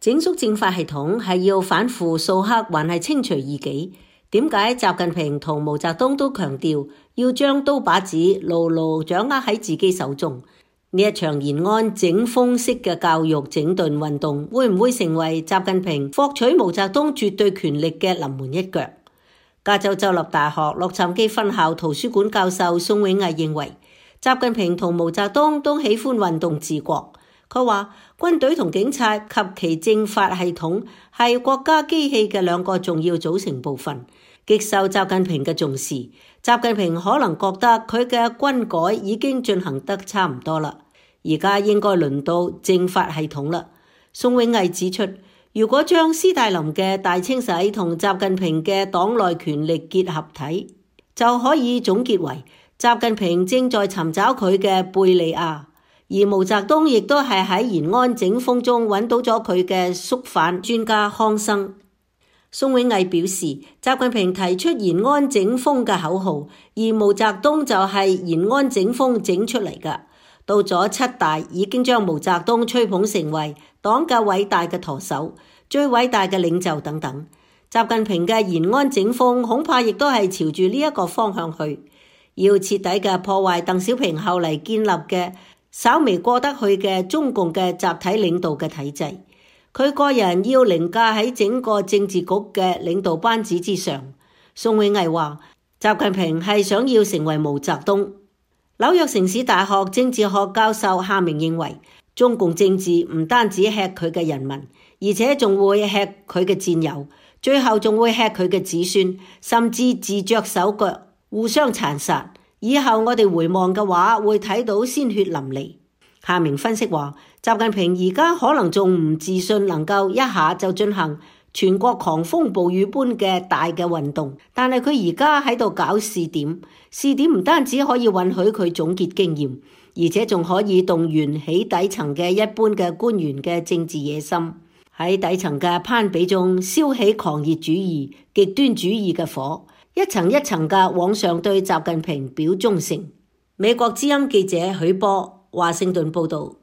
整肅政法系統係要反腐掃黑，還係清除異己？點解習近平同毛澤東都強調要將刀把子牢牢掌握喺自己手中？呢一場延安整風式嘅教育整頓運動，會唔會成為習近平獲取毛澤東絕對權力嘅臨門一腳？加州州立大學洛杉磯分校圖書館教授宋永毅認為，習近平同毛澤東都喜歡運動治國。佢話軍隊同警察及其政法系統係國家機器嘅兩個重要組成部分，極受習近平嘅重視。習近平可能覺得佢嘅軍改已經進行得差唔多啦，而家應該輪到政法系統啦。宋永毅指出，如果將斯大林嘅大清洗同習近平嘅黨內權力結合體，就可以總結為習近平正在尋找佢嘅貝利亞。而毛澤東亦都係喺延安整風中揾到咗佢嘅肅反專家康生。宋永毅表示，習近平提出延安整風嘅口號，而毛澤東就係延安整風整出嚟㗎。到咗七大已經將毛澤東吹捧成為黨嘅偉大嘅舵手、最偉大嘅領袖等等。習近平嘅延安整風恐怕亦都係朝住呢一個方向去，要徹底嘅破壞鄧小平後嚟建立嘅稍微過得去嘅中共嘅集體領導嘅體制，佢個人要凌駕喺整個政治局嘅領導班子之上。宋永毅話，習近平係想要成為毛澤東。紐約城市大學政治學教授夏明認為，中共政治唔單止吃佢嘅人民，而且仲會吃佢嘅戰友，最後仲會吃佢嘅子孫，甚至自著手腳，互相殘殺。以後我哋回望嘅話，會睇到鮮血淋漓。夏明分析話，習近平而家可能仲唔自信能夠一下就進行全國狂風暴雨般嘅大嘅運動，但係佢而家喺度搞試點，試點唔單止可以允許佢總結經驗，而且仲可以動員起底層嘅一般嘅官員嘅政治野心，喺底層嘅攀比中燒起狂熱主義、極端主義嘅火，一層一層嘅往上對習近平表忠誠。美國之音記者許波華盛頓報道。